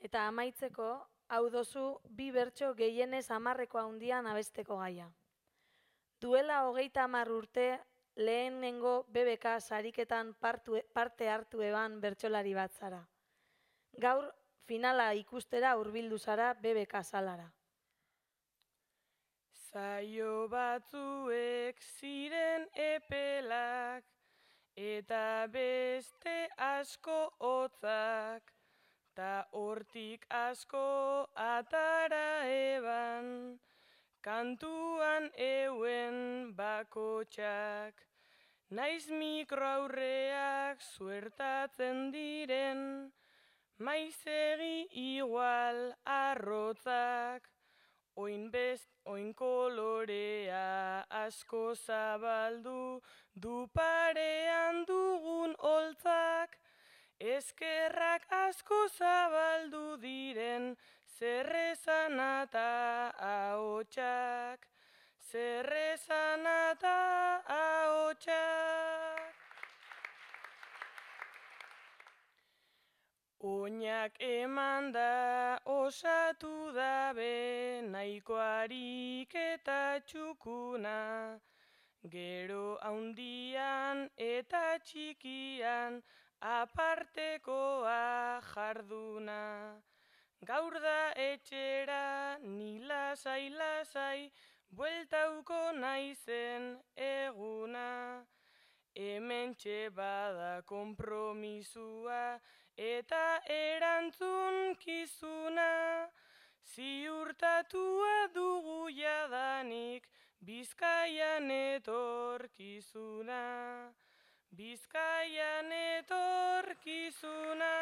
Eta amaitzeko, hau dozu bi bertso gehienez 10 handian abesteko gaia. Duela 30 urte lehenengo BBK sariketan parte hartu eban bertsolari bat zara. Gaur finala ikustera hurbildu zara BBK salara. Zaio batzuek ziren epelak, eta beste asko hotzak, ta hortik asko atara eban, kantuan euen bakotxak. Naiz mikroaurreak suertatzen diren, maizegi igual arrotzak, oin kolorea asko zabaldu, du parean dugun holtzak, eskerrak asko zabaldu diren, zerrezana eta ahotsak, zerrezana eta ahotsak. Oinak emanda osatu dabe nahiko harik eta txukuna, gero haundian eta txikian apartekoa jarduna. Gaur da etxera ni lasai-lasai bueltauko naizen eguna. Hementxe bada konpromisua eta erantzunkizuna, ziurtatua dugu jadanik Bizkaian etorkizuna, Bizkaian etorkizuna.